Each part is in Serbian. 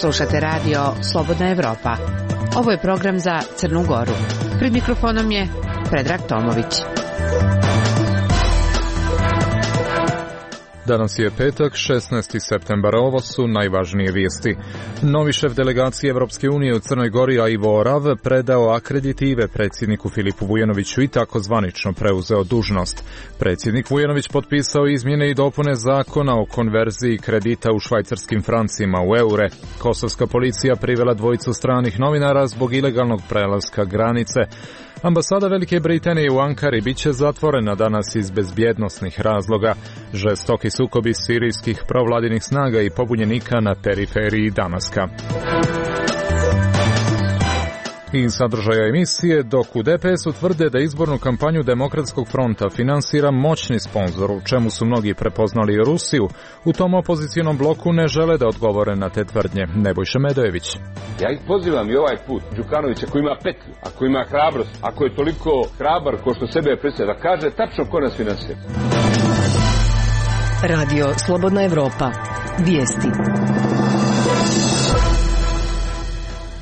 Slušate radio Slobodna Evropa. Ovo je program za Crnu Goru. Pred mikrofonom je Predrag Tomović. Danas je petak, 16. septembar. Ovo su najvažnije vijesti. Novi šef delegacije Evropske unije u Crnoj Gori, Ivo Orav, predao akreditive predsjedniku Filipu Vujanoviću i tako zvanično preuzeo dužnost. Predsjednik Vujanović potpisao izmjene i dopune zakona o konverziji kredita u švajcarskim francima u eure. Kosovska policija privela dvojicu stranih novinara zbog ilegalnog prelaska granice. Ambasada Velike Britanije u Ankari bit će zatvorena danas iz bezbjednosnih razloga. Žestoki sukobi sirijskih provladinih snaga i pobunjenika na periferiji Damaska. I sadržaja emisije, dok u DPS-u tvrde da izbornu kampanju Demokratskog fronta finansira moćni sponzor, u čemu su mnogi prepoznali Rusiju, u tom opozicionom bloku ne žele da odgovore na te tvrdnje. Nebojša Medojević. Ja ih pozivam i ovaj put, Đukanovića, ako ima petlju, ako ima hrabrost, ako je toliko hrabar ko što sebe predstavlja, da kaže tačno ko nas finansira. Radio Slobodna Evropa. Vijesti.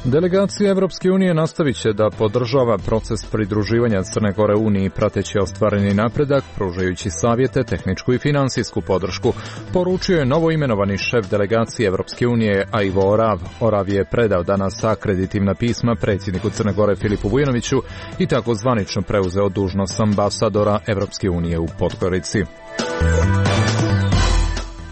Delegacija Evropske unije nastavit će da podržava proces pridruživanja Crne Gore Uniji prateći ostvareni napredak, pružajući savjete, tehničku i finansijsku podršku, poručio je novoimenovani šef delegacije Evropske unije Ivo Orav. Orav je predao danas akreditivna pisma predsjedniku Crne Gore Filipu Vujanoviću i tako zvanično preuzeo dužnost ambasadora Evropske unije u Podgorici.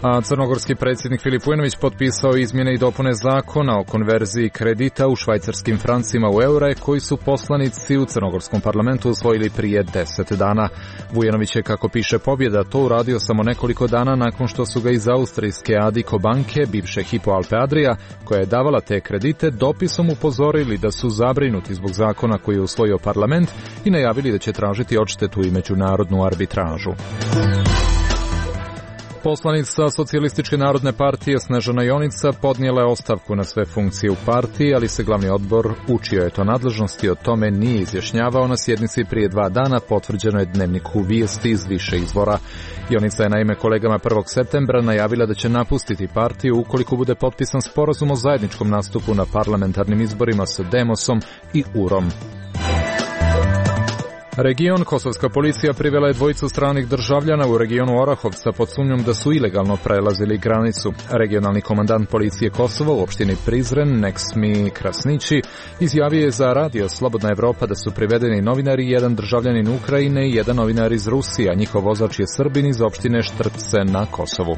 A crnogorski predsjednik Filip Vujanović potpisao izmjene i dopune zakona o konverziji kredita u švajcarskim francima u eure koji su poslanici u crnogorskom parlamentu usvojili prije 10 dana. Vujanović je, kako piše Pobjeda, to uradio samo nekoliko dana nakon što su ga iz austrijske Addiko banke, bivše Hypo Alpe Adria, koja je davala te kredite, dopisom upozorili da su zabrinuti zbog zakona koji je usvojio parlament i najavili da će tražiti odštetu i međunarodnu arbitražu. Poslanica Socijalističke narodne partije Snežana Jonica podnijela je ostavku na sve funkcije u partiji, ali se glavni odbor učio je to nadležnosti, o tome nije izjašnjavao na sjednici prije 2 dana, potvrđeno je Dnevniku vijesti iz više izvora. Jonica je naime kolegama 1. septembra najavila da će napustiti partiju ukoliko bude potpisan sporazum o zajedničkom nastupu na parlamentarnim izborima sa Demosom i URom. Region Kosovska policija privela je dvojicu stranih državljana u regionu Orahovca pod sumnjom da su ilegalno prelazili granicu. Regionalni komandant policije Kosova u opštini Prizren, Neksmi Krasnići, izjavio je za radio Slobodna Evropa da su privedeni novinari, jedan državljanin Ukrajine i jedan novinar iz Rusije, a njihov vozač je Srbin iz opštine Štrpce na Kosovu.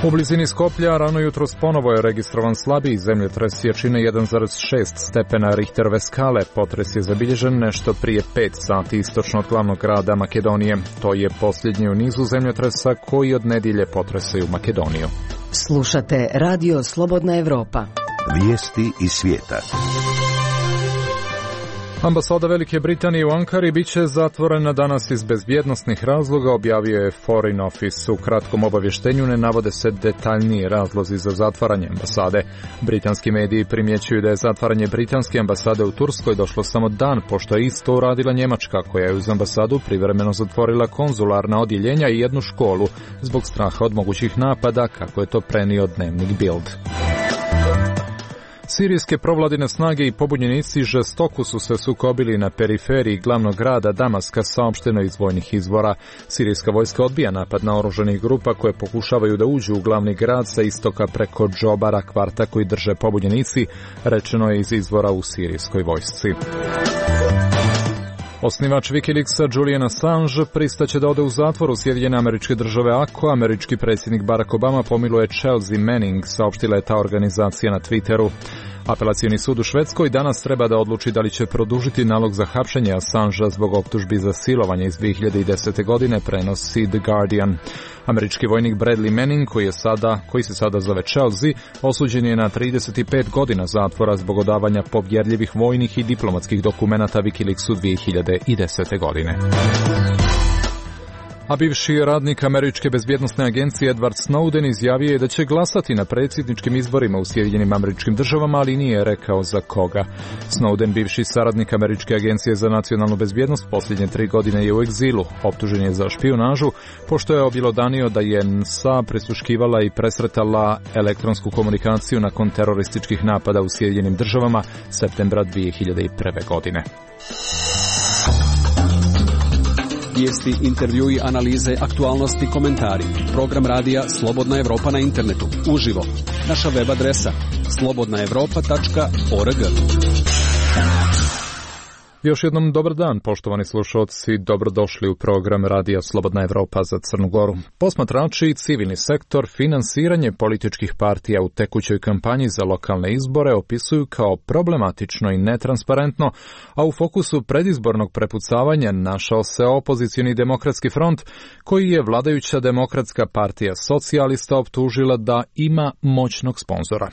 U blizini Skoplja rano jutros ponovo je registrovan slabiji zemljotres jačine 1,6 stepena Richterove skale. Potres je zabilježen nešto prije 5 sati istočno od glavnog grada Makedonije. To je posljednji u nizu zemljotresa koji od nedjelje potresaju Makedoniju. Slušate Radio Slobodna Evropa. Vijesti iz svijeta. Ambasada Velike Britanije u Ankari bit će zatvorena danas iz bezbjednosnih razloga, objavio je Foreign Office. U kratkom obavještenju ne navode se detaljniji razlozi za zatvaranje ambasade. Britanski mediji primjećuju da je zatvaranje britanske ambasade u Turskoj došlo samo dan pošto je isto uradila Njemačka, koja je uz ambasadu privremeno zatvorila konzularna odjeljenja i jednu školu zbog straha od mogućih napada, kako je to prenio dnevnik Bild. Sirijske provladine snage i pobunjenici žestoko su se sukobili na periferiji glavnog grada Damaska, saopšteno iz vojnih izvora. Sirijska vojska odbija napad na oružanih grupa koje pokušavaju da uđu u glavni grad sa istoka preko Džobara, kvarta koji drže pobunjenici, rečeno je iz izvora u sirijskoj vojsci. Osnivač Wikileaksa Julian Assange pristaće da ode u zatvor u Sjedinjene Američke Države ako američki predsjednik Barack Obama pomiluje Chelsea Manning, saopštila je ta organizacija na Twitteru. Apelacioni sud u Švedskoj danas treba da odluči da li će produžiti nalog za hapšenje Assangea zbog optužbi za silovanje iz 2010. godine, prenosi The Guardian. Američki vojnik Bradley Manning, koji se sada zove Chelsea, osuđen je na 35 godina zatvora zbog odavanja povjerljivih vojnih i diplomatskih dokumenata Wikileaksu 2010. godine. A bivši radnik američke bezbjednosne agencije Edward Snowden izjavio je da će glasati na predsjedničkim izborima u Sjedinjenim Američkim Državama, ali nije rekao za koga. Snowden, bivši saradnik američke agencije za nacionalnu bezbjednost, posljednje 3 godine je u egzilu. Optužen je za špijunažu, pošto je objelodanio da je NSA prisluškivala i presretala elektronsku komunikaciju nakon terorističkih napada u Sjedinjenim Državama septembra 2001. godine. Vijesti, intervjui, analize, aktualnosti, komentari. Program radija Slobodna Evropa na internetu. Uživo. Naša web adresa slobodnaevropa.org. Još jednom dobar dan, poštovani slušalci, dobrodošli u program radija Slobodna Evropa za Crnu Goru. Posmatrači i civilni sektor finansiranje političkih partija u tekućoj kampanji za lokalne izbore opisuju kao problematično i netransparentno, a u fokusu predizbornog prepucavanja našao se opozicioni demokratski front, koji je vladajuća demokratska partija socijalista optužila da ima moćnog sponzora.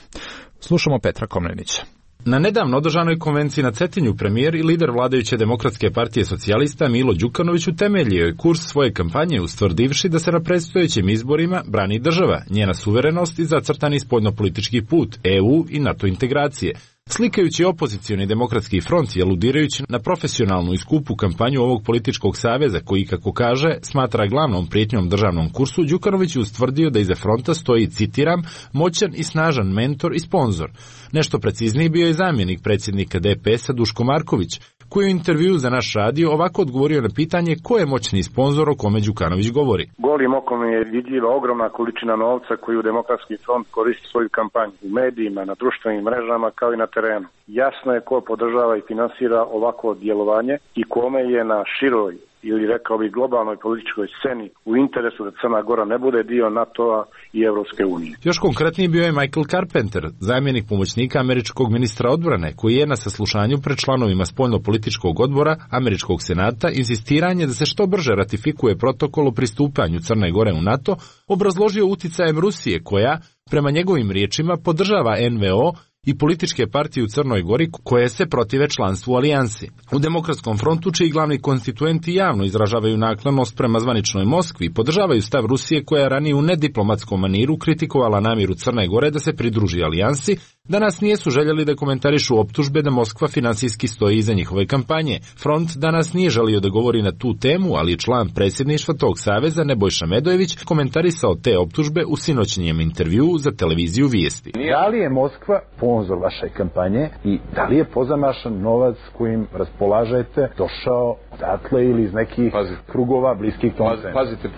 Slušamo Petra Komnenića. Na nedavno održanoj konvenciji na Cetinju premijer i lider vladajuće demokratske partije socijalista Milo Đukanović utemeljio je kurs svoje kampanje ustvrdivši da se na predstojećim izborima brani država, njena suverenost i zacrtani spoljnopolitički put, EU i NATO integracije. Slikajući opozicioni demokratski front i aludirajući na profesionalnu i skupu kampanju ovog političkog saveza koji, kako kaže, smatra glavnom prijetnjom državnom kursu, Đukanović je ustvrdio da iza fronta stoji, citiram, moćan i snažan mentor i sponzor. Nešto precizniji bio je zamjenik predsjednika DPS-a Duško Marković, koji u intervjuu za naš radio ovako odgovorio na pitanje ko je moćni sponzor o kome Đukanović govori. Golim okom je vidljiva ogromna količina novca koju Demokratski front koristi svoju kampanju u medijima, na društvenim mrežama kao i na terenu. Jasno je ko podržava i finansira ovako djelovanje i kome je na široj ili rekao bih globalnoj političkoj sceni u interesu da Crna Gora ne bude dio NATO-a i Evropske unije. Još konkretniji bio je Michael Carpenter, zamjenik pomoćnika američkog ministra odbrane, koji je na saslušanju pred članovima spoljno-političkog odbora američkog senata insistiranje da se što brže ratifikuje protokol o pristupanju Crne Gore u NATO, obrazložio uticajem Rusije koja, prema njegovim riječima, podržava NVO i političke partije u Crnoj Gori koje se protive članstvu u alijansi. U Demokratskom frontu, čiji glavni konstituenti javno izražavaju naklonost prema zvaničnoj Moskvi, podržavaju stav Rusije koja je ranije u nediplomatskom maniru kritikovala namjeru Crne Gore da se pridruži alijansi, danas nisu željeli da komentarišu optužbe da Moskva finansijski stoji iza njihove kampanje. Front danas nije želio da govori na tu temu, ali član predsjedništva tog saveza Nebojša Medojević komentarisao te optužbe u sinoćnjem intervjuu za televiziju Vijesti. Da li je Moskva sponzor vaše kampanje i da li je pozamašan novac kojim raspolažete došao odatle ili iz nekih krugova bliskih tom centru? Pazite,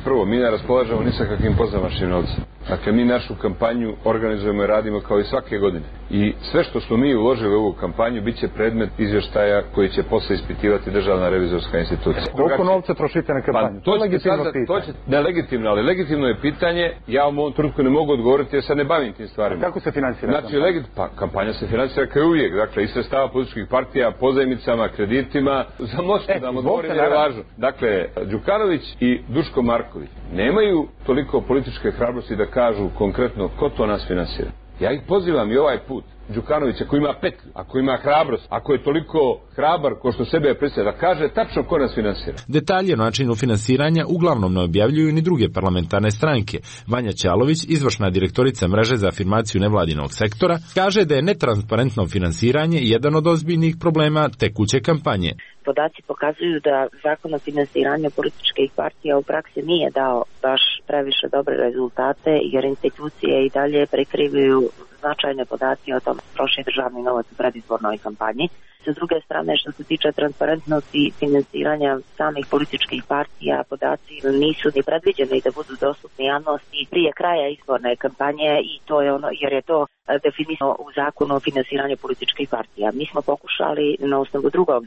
prvo, mi ne raspolažemo ni sa kakvim pozamašnim novcem. Dakle, mi našu kampanju organizujemo i radimo kao i svake godine. I sve što smo mi uložili u ovu kampanju bit će predmet izvještaja koji će posle ispitivati Državna revizorska institucija. Koliko novca trošite na kampanju? To je legitimno pitanje. Ne legitimno, ali legitimno je pitanje. Ja u ovom trenutku ne mogu odgovoriti jer sad ne bavim tim stvarima. Kako se finansira kampanja? Kampanja se finansira kao uvijek. Dakle, iz sredstava političkih partija, pozajmicama, kreditima. Za Moskvu da vam odgovorim je važno. Dakle, Đukanović i Duško Marković nemaju toliko političke hrabrosti da kažu konkretno ko to nas finansira. Ja ih pozivam i ovaj put, Đukanović, ako ima petlju, ako ima hrabrost, ako je toliko hrabar ko što sebe predstavlja, da kaže tačno ko nas finansira. Detalje o načinu finansiranja uglavnom ne objavljuju ni druge parlamentarne stranke. Vanja Ćalović, izvršna direktorica mreže za afirmaciju nevladinog sektora, kaže da je netransparentno finansiranje jedan od ozbiljnih problema tekuće kampanje. Podaci pokazuju da zakon o finansiranju političkih partija u praksi nije dao baš previše dobre rezultate, jer institucije i dalje prikrivaju značajne podatke o tom troši državni novac u predizbornoj kampanji. Sa druge strane, što se tiče transparentnosti finansiranja samih političkih partija, podaci nisu ni predviđeni da budu dostupni javnosti prije kraja izborne kampanje i to je ono, jer je to definisano u zakonu o finansiranju političkih partija. Mi smo pokušali na osnovu drugog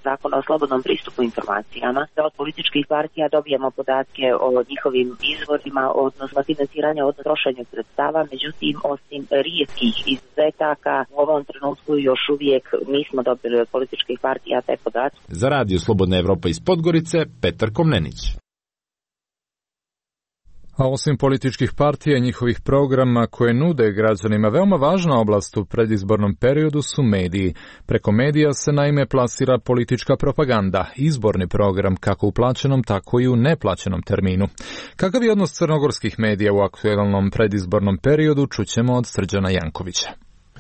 zakona o slobodnom pristupu informacijama, da od političkih partija dobijemo podatke o njihovim izvorima, odnosno financiranju, odnosno trošenju sredstava, međutim, osim rijetkih izuzetaka, u ovom trenutku još uvijek nismo dobili od političkih partija te podatke. Za Radio Slobodna Evropa iz Podgorice, Petar Komnenić. A osim političkih partija i njihovih programa koje nude građanima, veoma važna oblast u predizbornom periodu su mediji. Preko medija se naime plasira politička propaganda, izborni program kako u plaćenom, tako i u neplaćenom terminu. Kakav je odnos crnogorskih medija u aktualnom predizbornom periodu, čućemo od Srđana Jankovića.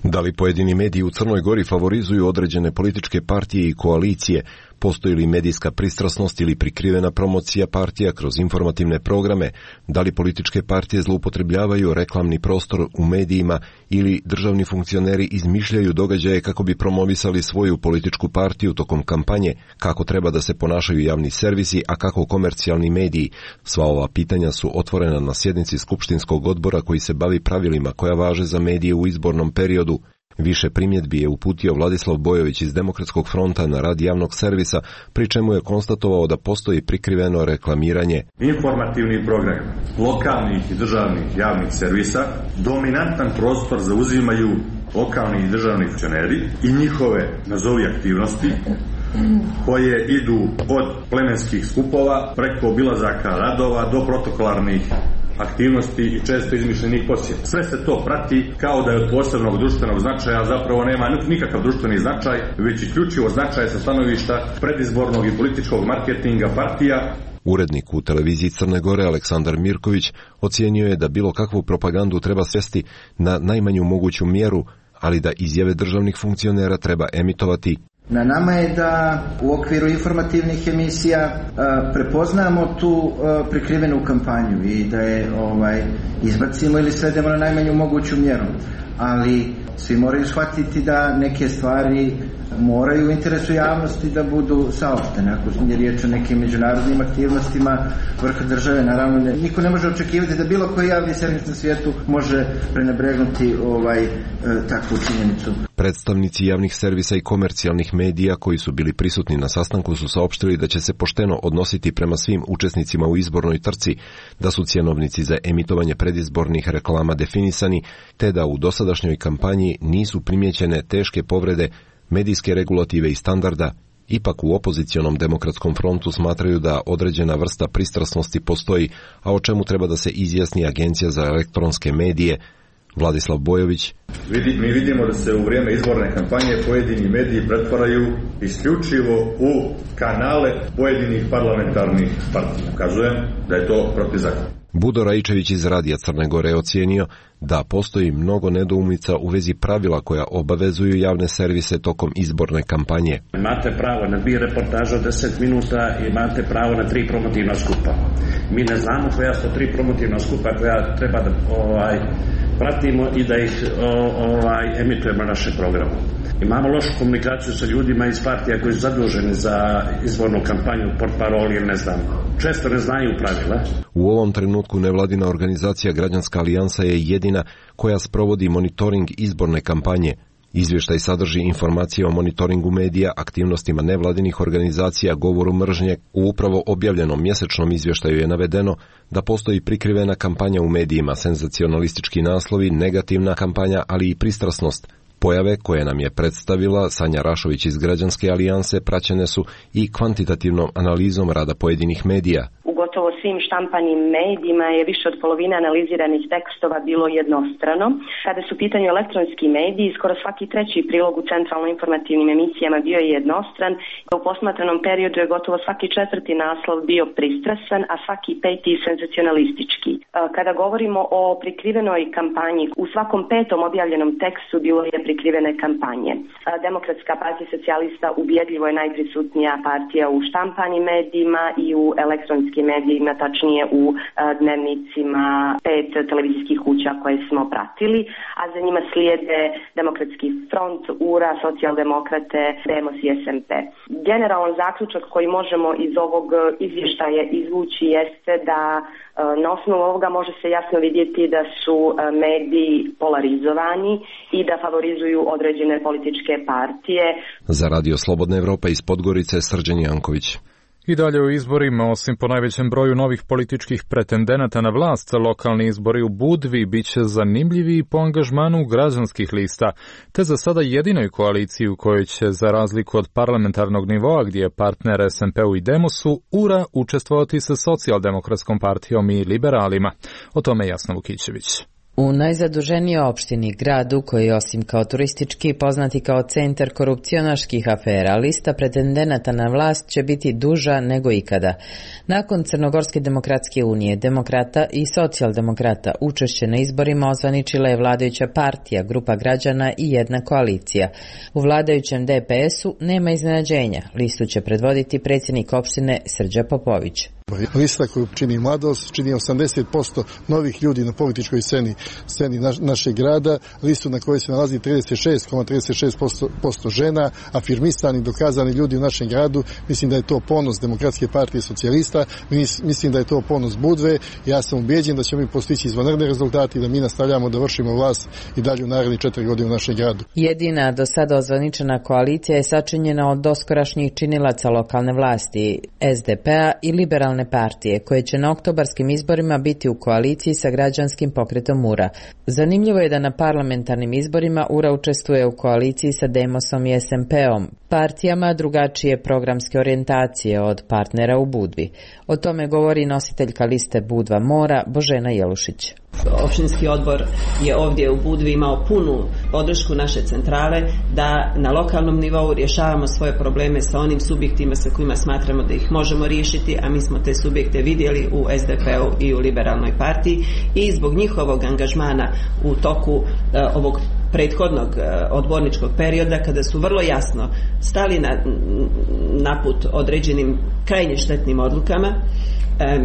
Da li pojedini mediji u Crnoj Gori favorizuju određene političke partije i koalicije? Postoji li medijska pristrasnost ili prikrivena promocija partija kroz informativne programe? Da li političke partije zloupotrebljavaju reklamni prostor u medijima ili državni funkcioneri izmišljaju događaje kako bi promovisali svoju političku partiju tokom kampanje? Kako treba da se ponašaju javni servisi, a kako komercijalni mediji? Sva ova pitanja su otvorena na sjednici Skupštinskog odbora koji se bavi pravilima koja važe za medije u izbornom periodu. Više primjedbi je uputio Vladislav Bojović iz Demokratskog fronta na rad javnog servisa, pri čemu je konstatovao da postoji prikriveno reklamiranje. Informativni program lokalnih i državnih javnih servisa dominantan prostor zauzimaju lokalni i državni funkcioneri i njihove, nazovi, aktivnosti koje idu od plemenskih skupova preko obilazaka radova do protokolarnih aktivnosti i često izmišljenih posjeta. Sve se to prati kao da je od posebnog društvenog značaja, zapravo nema nikakav društveni značaj, već isključivo značaj sa stanovišta predizbornog i političkog marketinga partija. Urednik u televiziji Crne Gore Aleksandar Mirković ocijenio je da bilo kakvu propagandu treba svesti na najmanju moguću mjeru, ali da izjave državnih funkcionera treba emitovati. Na nama je da u okviru informativnih emisija prepoznamo tu prikrivenu kampanju i da je izbacimo ili svedemo na najmanju moguću mjeru. Ali svi moraju shvatiti da neke stvari moraju u interesu javnosti da budu saopštene. Ako je riječ o nekim međunarodnim aktivnostima vrha države, naravno niko ne može očekivati da bilo koji javni servis na svijetu može prenebregnuti takvu činjenicu. Predstavnici javnih servisa i komercijalnih medija koji su bili prisutni na sastanku su saopštili da će se pošteno odnositi prema svim učesnicima u izbornoj trci, da su cjenovnici za emitovanje predizbornih reklama definisani, te da u dosadašnjoj kampanji nisu primijećene teške povrede medijske regulative i standarda. Ipak u opozicionom Demokratskom frontu smatraju da određena vrsta pristrasnosti postoji, a o čemu treba da se izjasni Agencija za elektronske medije. Vladislav Bojović. Mi vidimo da se u vrijeme izborne kampanje pojedini mediji pretvaraju isključivo u kanale pojedinih parlamentarnih partija. Ukazujem da je to protivzakonito. Budo Raičević iz Radija Crne Gore je ocijenio da postoji mnogo nedoumica u vezi pravila koja obavezuju javne servise tokom izborne kampanje. Imate pravo na 2 reportaže od 10 minuta i imate pravo na 3 promotivna skupa. Mi ne znamo koja su 3 promotivna skupa koja treba da pratimo i da ih emitujemo na našem programu. Imamo lošu komunikaciju sa ljudima iz partija koji su zaduženi za izbornu kampanju, portparoli ili ne znam. Često ne znaju pravila. U ovom trenutku nevladina organizacija Građanska alijansa je jedina koja sprovodi monitoring izborne kampanje. Izvještaj sadrži informacije o monitoringu medija, aktivnostima nevladinih organizacija, govoru mržnje. U upravo objavljenom mjesečnom izvještaju je navedeno da postoji prikrivena kampanja u medijima, senzacionalistički naslovi, negativna kampanja, ali i pristrasnost. Pojave koje nam je predstavila Sanja Rašović iz Građanske alijanse praćene su i kvantitativnom analizom rada pojedinih medija. Gotovo svim štampanim medijima je više od polovine analiziranih tekstova bilo jednostrano. Kada su u pitanju elektronski mediji, skoro svaki treći prilog u centralno informativnim emisijama bio je jednostran. U posmatranom periodu je gotovo svaki četvrti naslov bio pristrasan, a svaki peti senzacionalistički. Kada govorimo o prikrivenoj kampanji, u svakom petom objavljenom tekstu bilo je prikrivene kampanje. Demokratska partija socijalista ubjedljivo je najprisutnija partija u štampanim medijima i u elektronskim medijima, tačnije u dnevnicima 5 televizijskih kuća koje smo pratili, a za njima slijede Demokratski front, URA, Socijaldemokrate, Demos i SMP. Generalan zaključak koji možemo iz ovog izvještaja izvući jeste da na osnovu ovoga može se jasno vidjeti da su mediji polarizovani i da favorizuju određene političke partije. Za Radio Slobodna Evropa iz Podgorice, Srđan Janković. I dalje u izborima, osim po najvećem broju novih političkih pretendenata na vlast, lokalni izbori u Budvi bit će zanimljivi po angažmanu građanskih lista, te za sada jedinoj koaliciji u kojoj će, za razliku od parlamentarnog nivoa gdje je partner SMP-u i Demosu, URA učestvovati sa Socijaldemokratskom partijom i liberalima. O tome Jasna Vukićević. U najzaduženijoj opštini, gradu koji je osim kao turistički poznati kao centar korupcionaških afera, lista pretendenata na vlast će biti duža nego ikada. Nakon Crnogorske demokratske unije, demokrata i socijaldemokrata, učešće na izborima ozvaničila je vladajuća partija, grupa građana i jedna koalicija. U vladajućem DPS-u nema iznenađenja. Listu će predvoditi predsjednik opštine Srđa Popović. Lista koju čini mladost, čini 80% novih ljudi na političkoj sceni našeg grada, listu na kojoj se nalazi 36,36% žena, afirmisani, dokazani ljudi u našem gradu. Mislim da je to ponos Demokratske partije socijalista, mislim da je to ponos Budve. Ja sam ubeđen da ćemo mi postići izvanredne rezultate i da mi nastavljamo da vršimo vlast i dalje u narednih 4 godine u našem gradu. Jedina do sada ozvaničena koalicija je sačinjena od doskorašnjih činilaca lokalne vlasti, SDP-a i liberalne partije, koje će na oktobarskim izborima biti u koaliciji sa građanskim pokretom URA. Zanimljivo je da na parlamentarnim izborima URA učestvuje u koaliciji sa Demosom i SMP-om, partijama drugačije programske orijentacije od partnera u Budvi. O tome govori nositeljka liste Budva Mora, Božena Jelušić. Opštinski odbor je ovdje u Budvi imao punu podršku naše centrale da na lokalnom nivou rješavamo svoje probleme sa onim subjektima sa kojima smatramo da ih možemo riješiti, a mi smo te subjekte vidjeli u SDP-u i u liberalnoj partiji i zbog njihovog angažmana u toku ovog prethodnog odborničkog perioda, kada su vrlo jasno stali na put određenim krajnje štetnim odlukama,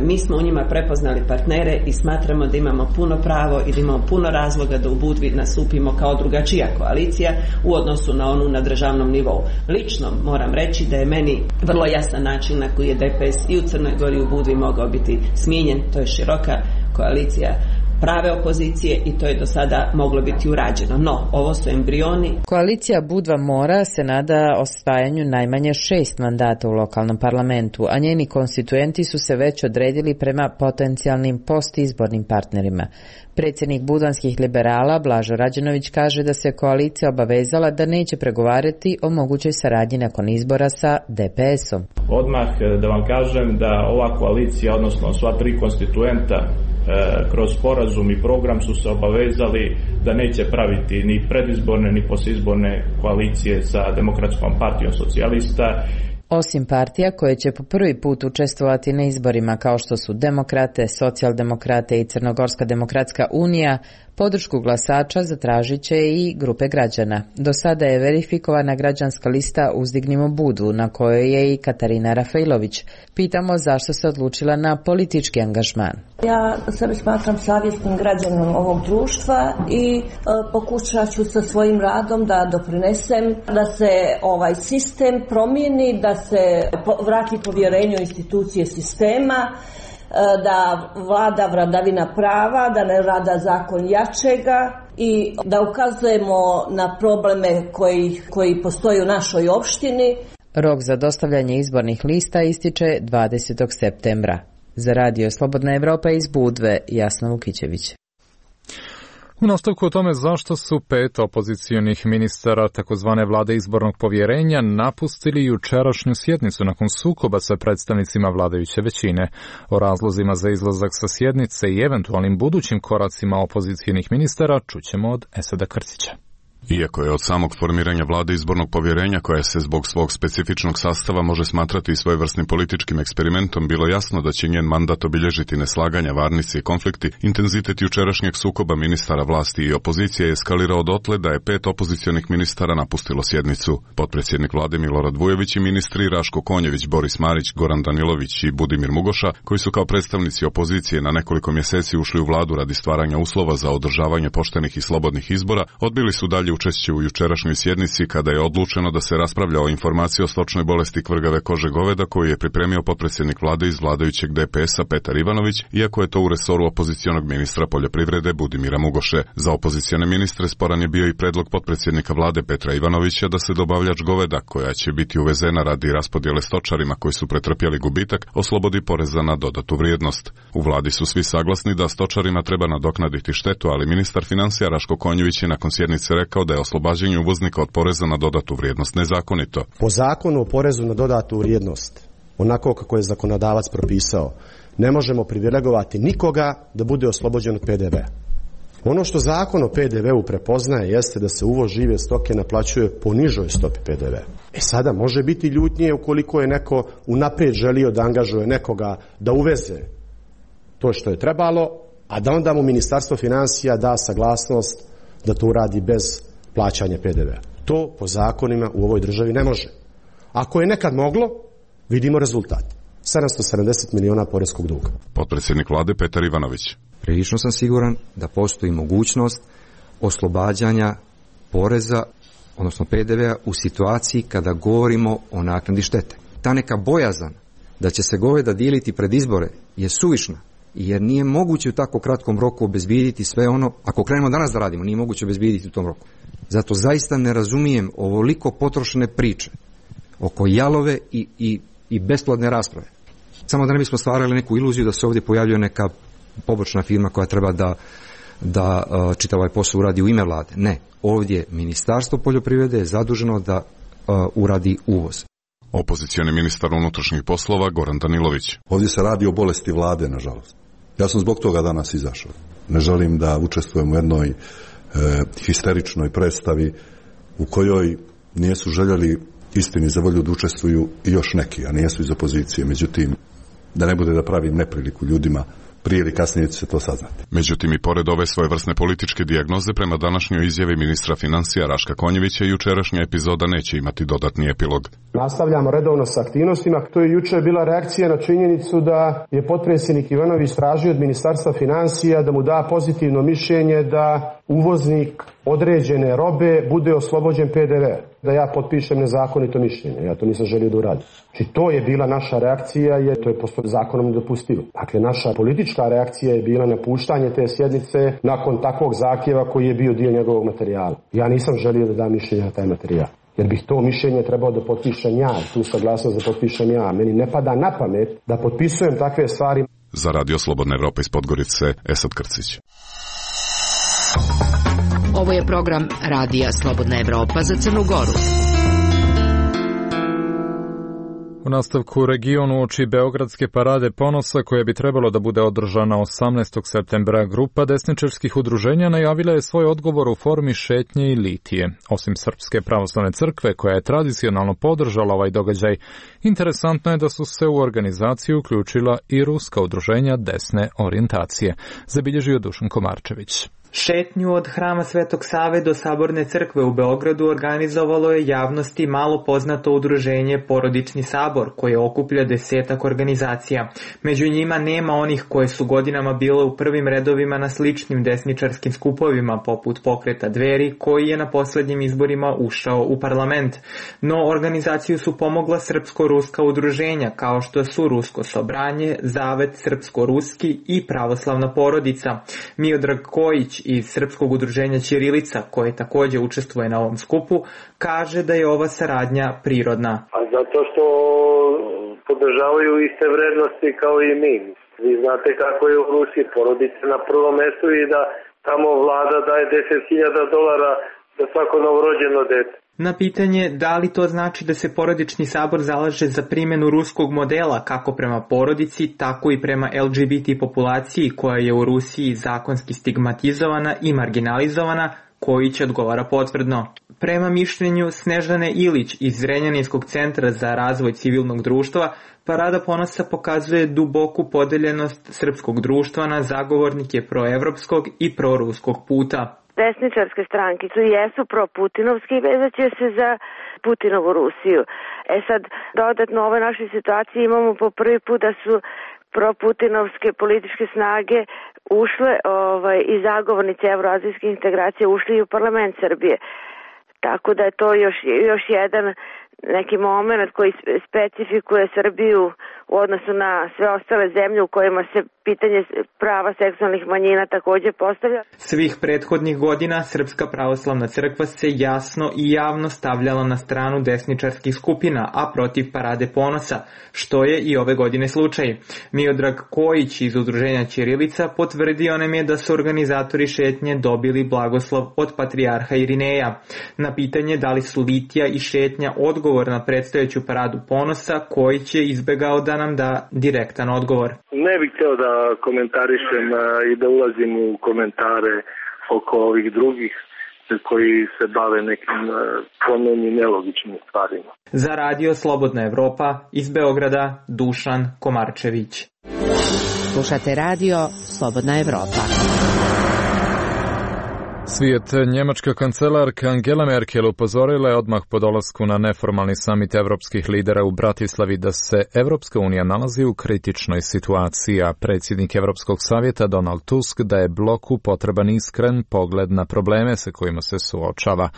mi smo u njima prepoznali partnere i smatramo da imamo puno pravo i da imamo puno razloga da u Budvi nastupimo kao drugačija koalicija u odnosu na onu na državnom nivou. Lično moram reći da je meni vrlo jasan način na koji je DPS i u Crnoj Gori i u Budvi mogao biti smijenjen. To je široka koalicija prave opozicije i to je do sada moglo biti urađeno. No, ovo su embrioni. Koalicija Budva Mora se nada osvajanju najmanje 6 mandata u lokalnom parlamentu, a njeni konstituenti su se već odredili prema potencijalnim postizbornim partnerima. Predsjednik budvanskih liberala Blažo Rađenović kaže da se koalicija obavezala da neće pregovarati o mogućoj saradnji nakon izbora sa DPS-om. Odmah da vam kažem da ova koalicija, odnosno sva 3 konstituenta, kroz sporazum i program su se obavezali da neće praviti ni predizborne ni postizborne koalicije sa Demokratskom partijom socijalista. Osim partija koje će po prvi put učestvovati na izborima kao što su Demokrate, Socijaldemokrate i Crnogorska demokratska unija, podršku glasača zatražit će i grupe građana. Do sada je verifikovana građanska lista Uzdignimo Budvu, na kojoj je i Katarina Rafailović. Pitamo zašto se odlučila na politički angažman. Ja sebe smatram savjesnim građanom ovog društva i pokušat ću sa svojim radom da doprinesem da se ovaj sistem promijeni, da se vrati povjerenje u institucije sistema, da vlada vladavina prava, da ne vlada zakon jačega i da ukazujemo na probleme koji postoje u našoj opštini. Rok za dostavljanje izbornih lista ističe 20. septembra. Za Radio Slobodna Evropa iz Budve, Jasna Vukićević. U nastavku o tome zašto su 5 opozicijonih ministara takozvane vlade izbornog povjerenja napustili jučerašnju sjednicu nakon sukoba sa predstavnicima vladajuće većine. O razlozima za izlazak sa sjednice i eventualnim budućim koracima opozicijonih ministara čućemo od Esada Krcića. Iako je od samog formiranja vlade izbornog povjerenja, koja se zbog svog specifičnog sastava može smatrati svojevrsnim političkim eksperimentom, bilo jasno da će njen mandat obilježiti neslaganja, varnice i konflikti, intenzitet jučerašnjeg sukoba ministara vlasti i opozicije je eskalirao dotle da je 5 opozicionih ministara napustilo sjednicu. Potpredsjednik vlade Milorad Vujović i ministri Raško Konjević, Boris Marić, Goran Danilović i Budimir Mugoša, koji su kao predstavnici opozicije na nekoliko mjeseci ušli u vladu radi stvaranja uslova za održavanje poštenih i slobodnih izbora, odbili su dalje dalje učešće u jučerašnjoj sjednici kada je odlučeno da se raspravlja o informaciji o stočnoj bolesti kvrgave kože goveda koju je pripremio potpredsjednik vlade iz vladajućeg DPS-a Petar Ivanović, iako je to u resoru opozicionog ministra poljoprivrede Budimira Mugoše. Za opozicione ministre sporan je bio i predlog potpredsjednika vlade Petra Ivanovića da se dobavljač goveda, koja će biti uvezena radi raspodjele stočarima koji su pretrpjeli gubitak, oslobodi poreza na dodatu vrijednost. U vladi su svi saglasni da stočarima treba nadoknaditi štetu, ali ministar financija Raško Konjević je nakon sjednice rekao da je oslobađanje uvoznika od poreza na dodatu vrijednost nezakonito. Po zakonu o porezu na dodatu vrijednost, onako kako je zakonodavac propisao, ne možemo privilegovati nikoga da bude oslobođen od PDV-a. Ono što zakon o PDV-u prepoznaje jeste da se uvoz žive stoke naplaćuje po nižoj stopi PDV-a. Sada može biti ljutnije ukoliko je neko unaprijed želio da angažuje nekoga da uveze to što je trebalo, a da onda mu Ministarstvo financija da saglasnost da to uradi bez plaćanja PDV-a. To po zakonima u ovoj državi ne može. Ako je nekad moglo, vidimo rezultat. 770 miliona poreskog duga. Potpredsjednik vlade Petar Ivanović. Prilično sam siguran da postoji mogućnost oslobađanja poreza, odnosno PDV-a u situaciji kada govorimo o naknadi štete. Ta neka bojazan da će se goveda dijeliti pred izbore je suvišna, jer nije moguće u tako kratkom roku obezbijediti sve ono, ako krenemo danas da radimo, nije moguće obezbijediti u tom roku. Zato zaista ne razumijem ovoliko potrošene priče oko jalove i besplodne rasprave. Samo da ne bismo stvarali neku iluziju da se ovdje pojavljuje neka pobočna firma koja treba da čitav ovaj posao uradi u ime vlade. Ne, ovdje Ministarstvo poljoprivrede je zaduženo da uradi uvoz. Opozicioni ministar unutrašnjih poslova Goran Danilović. Ovdje se radi o bolesti vlade, nažalost. Ja sam zbog toga danas izašao. Ne želim da učestvujem u jednoj histeričnoj predstavi u kojoj nisu željeli istini za volju da učestvuju i još neki, a nijesu iz opozicije. Međutim, da ne bude da pravim nepriliku ljudima, prije ili kasnije će se to saznati. Međutim, i pored ove svojevrsne političke dijagnoze, prema današnjoj izjavi ministra financija Raška Konjevića, jučerašnja epizoda neće imati dodatni epilog. Nastavljamo redovno sa aktivnostima. To je jučer bila reakcija na činjenicu da je potpredsjednik Ivanović tražio od Ministarstva financija da mu da pozitivno mišljenje da uvoznik određene robe bude oslobođen PDV. Da ja potpišem nezakonito mišljenje. Ja to nisam želio da uradim. Znači to je bila naša reakcija, jer to je po zakonom nedopustivo. Dakle, naša politička reakcija je bila napuštanje te sjednice nakon takvog zahtjeva koji je bio dio njegovog materijala. Ja nisam želio da dam mišljenje na taj materijal. Jer bih to mišljenje trebao da potpišem ja, tu saglasnost da potpišem ja. Meni ne pada na pamet da potpisujem takve stvari. Za Radio Slobodna Evropa iz Podgorice, Esad Krcić. Ovo je program Radija Slobodna Evropa za Crnu Goru. U nastavku regionu oči Beogradske parade ponosa koja bi trebalo da bude održana 18. septembra, grupa desničarskih udruženja najavila je svoj odgovor u formi šetnje i litije. Osim Srpske pravoslavne crkve koja je tradicionalno podržala ovaj događaj, interesantno je da su se u organizaciju uključila i ruska udruženja desne orijentacije, zabilježio Dušan Komarčević. Šetnju od Hrama Svetog Save do Saborne crkve u Beogradu organizovalo je javnosti malo poznato udruženje Porodični sabor, koje okuplja 10 organizacija. Među njima nema onih koje su godinama bile u prvim redovima na sličnim desničarskim skupovima, poput Pokreta Dveri, koji je na posljednjim izborima ušao u parlament. No, organizaciju su pomogla srpsko-ruska udruženja, kao što su Rusko sobranje, Zavet srpsko-ruski i Pravoslavna porodica. Miodrag Kojić iz Srpskog udruženja Ćirilica, koje također učestvuje na ovom skupu, kaže da je ova saradnja prirodna. A zato što podržavaju iste vrednosti kao i mi. Vi znate kako je u Rusiji porodica na prvom mjestu i da tamo vlada daje $10.000 za svako novorođeno dete. Na pitanje da li to znači da se Porodični sabor zalaže za primjenu ruskog modela kako prema porodici, tako i prema LGBT populaciji koja je u Rusiji zakonski stigmatizovana i marginalizovana, Kojić odgovara potvrdno. Prema mišljenju Snežane Ilić iz Zrenjaninskog centra za razvoj civilnog društva, Parada ponosa pokazuje duboku podeljenost srpskog društva na zagovornike proevropskog i proruskog puta. Desničarske stranke su jesu pro-putinovski i vezat će se za Putinovu Rusiju. Sad, dodatno u ovoj našoj situaciji imamo po prvi put da su pro-putinovske političke snage ušle i zagovornici evroazijskih integracija ušli i u parlament Srbije. Tako da je to još jedan neki moment koji specifikuje Srbiju u odnosu na sve ostale zemlje u kojima se pitanje prava seksualnih manjina također postavlja. Svih prethodnih godina Srpska pravoslavna crkva se jasno i javno stavljala na stranu desničarskih skupina, a protiv Parade ponosa, što je i ove godine slučaj. Miodrag Kojić iz udruženja Ćirilica potvrdio nam je da su organizatori šetnje dobili blagoslov od patrijarha Irineja. Na pitanje da li su litija i šetnja odgovor na predstojeću Paradu ponosa, Kojić je izbegao da nam da direktan odgovor. Ne bih htio da komentarišem i da ulazim u komentare oko ovih drugih koji se bave nekim po meni nelogičnim stvarima. Za radio Slobodna Evropa iz Beograda Dušan Komarčević. Slušate radio Slobodna Evropa. Svijet. Njemačka kancelarka Angela Merkel upozorila je odmah po dolasku na neformalni samit evropskih lidera u Bratislavi da se Evropska unija nalazi u kritičnoj situaciji, a predsjednik Evropskog savjeta Donald Tusk da je bloku potreban iskren pogled na probleme sa kojima se suočava.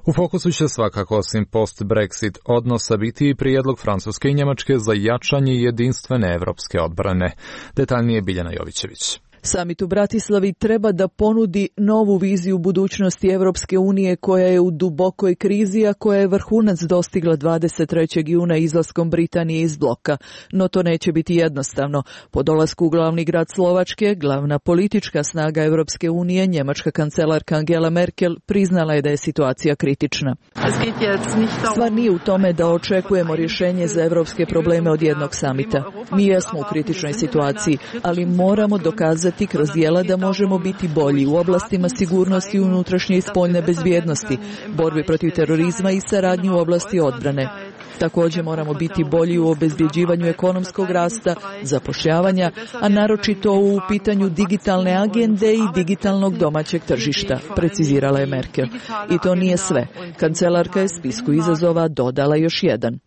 U fokusu će svakako osim post-Brexit odnosa biti i prijedlog Francuske i Njemačke za jačanje jedinstvene evropske odbrane. Detaljnije Biljana Jovićević. Samit u Bratislavi treba da ponudi novu viziju budućnosti Evropske unije koja je u dubokoj krizi, a koja je vrhunac dostigla 23. juna izlaskom Britanije iz bloka. No to neće biti jednostavno. Po dolasku u glavni grad Slovačke, glavna politička snaga Evropske unije, njemačka kancelarka Angela Merkel, priznala je da je situacija kritična. Stvar nije u tome da očekujemo rješenje za evropske probleme od jednog samita. Mi jesmo u kritičnoj situaciji, ali moramo dokazati kroz djela da možemo biti bolji u oblastima sigurnosti i unutrašnje i spoljne bezbjednosti, borbi protiv terorizma i saradnji u oblasti odbrane. Također moramo biti bolji u obezbjeđivanju ekonomskog rasta, zapošljavanja, a naročito u pitanju digitalne agende i digitalnog domaćeg tržišta, precizirala je Merkel. I to nije sve. Kancelarka je spisku izazova dodala još jedan.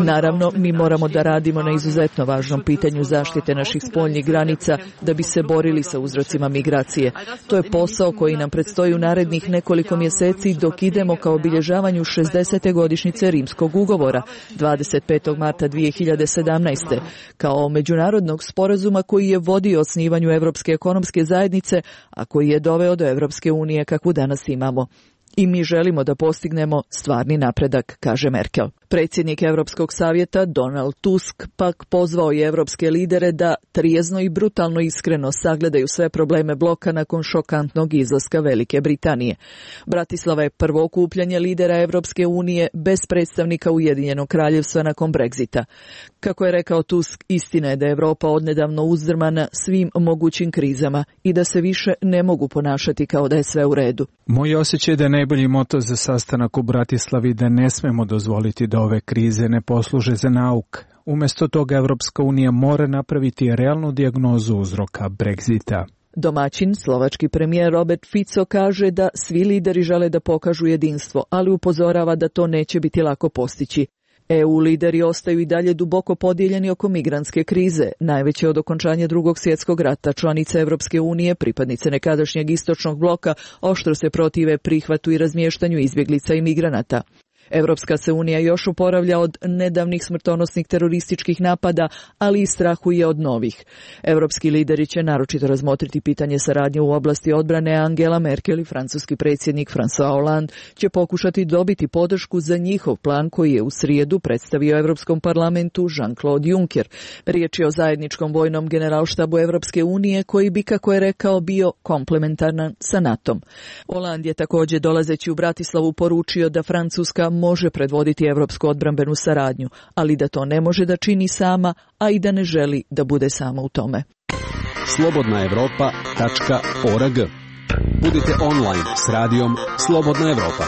Naravno, mi moramo da radimo na izuzetno važnom pitanju zaštite naših spoljnih granica da bi se borili sa uzrocima migracije. To je posao koji nam predstoji u narednih nekoliko mjeseci dok idemo ka obilježavanju 60. godišnjice Rimskog ugovora 25. marta 2017. kao međunarodnog sporazuma koji je vodio osnivanju Evropske ekonomske zajednice, a koji je doveo do Evropske unije kakvu danas imamo. I mi želimo da postignemo stvarni napredak, kaže Merkel. Predsjednik Europskog savjeta Donald Tusk pak pozvao je evropske lidere da trijezno i brutalno iskreno sagledaju sve probleme bloka nakon šokantnog izlaska Velike Britanije. Bratislava je prvo okupljanje lidera Evropske unije bez predstavnika Ujedinjenog kraljevstva nakon Brexita. Kako je rekao Tusk, istina je da je Evropa odnedavno uzdrmana svim mogućim krizama i da se više ne mogu ponašati kao da je sve u redu. Moj osjećaj da je najbolji moto za sastanak u Bratislavi da ne smemo dozvoliti da ove krize ne posluže za nauk. Umjesto toga Evropska unija mora napraviti realnu dijagnozu uzroka Brexita. Domaćin, slovački premijer Robert Fico kaže da svi lideri žele da pokažu jedinstvo, ali upozorava da to neće biti lako postići. EU lideri ostaju i dalje duboko podijeljeni oko migrantske krize, najveće od okončanja Drugog svjetskog rata. Članice Evropske unije, pripadnice nekadašnjeg istočnog bloka, oštro se protive prihvatu i razmještanju izbjeglica i migranata. Evropska se unija još oporavlja od nedavnih smrtonosnih terorističkih napada, ali i strahuje od novih. Evropski lideri će naročito razmotriti pitanje saradnje u oblasti odbrane. Angela Merkel i francuski predsjednik François Hollande će pokušati dobiti podršku za njihov plan koji je u srijedu predstavio Evropskom parlamentu Jean-Claude Juncker. Riječ je o zajedničkom vojnom generalštabu Evropske unije koji bi, kako je rekao, bio komplementaran sa NATO-om. Hollande je također dolazeći u Bratislavu poručio da Francuska može predvoditi evropsku odbrambenu saradnju, ali da to ne može da čini sama, a i da ne želi da bude sama u tome. slobodnaevropa.org. Budite online s radijom Slobodna Evropa.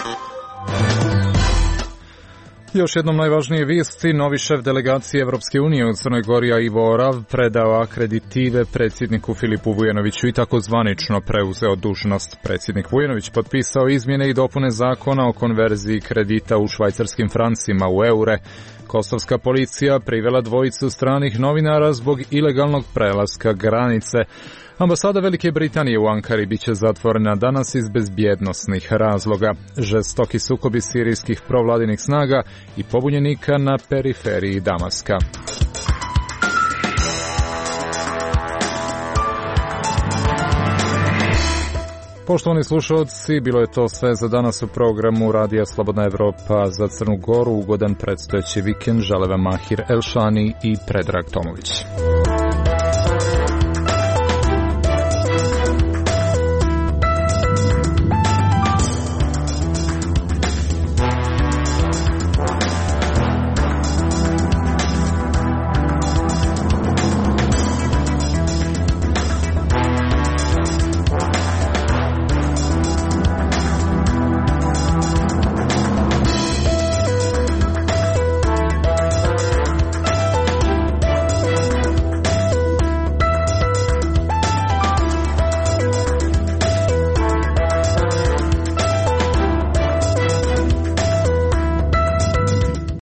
Još jednom najvažnije vijesti. Novi šef delegacije Evropske unije u Crnoj Gori Ivo Orav predao akreditive predsjedniku Filipu Vujanoviću i tako zvanično preuzeo dužnost. Predsjednik Vujanović potpisao izmjene i dopune zakona o konverziji kredita u švajcarskim francima u eure. Kosovska policija privela dvojicu stranih novinara zbog ilegalnog prelaska granice. Ambasada Velike Britanije u Ankari biće zatvorena danas iz bezbjednosnih razloga. Žestoki sukobi sirijskih provladinih snaga i pobunjenika na periferiji Damaska. Poštovani slušalci, bilo je to sve za danas u programu Radija Slobodna Evropa za Crnu Goru. Ugodan predstojeći vikend žele vam Mahir Elšani i Predrag Tomović.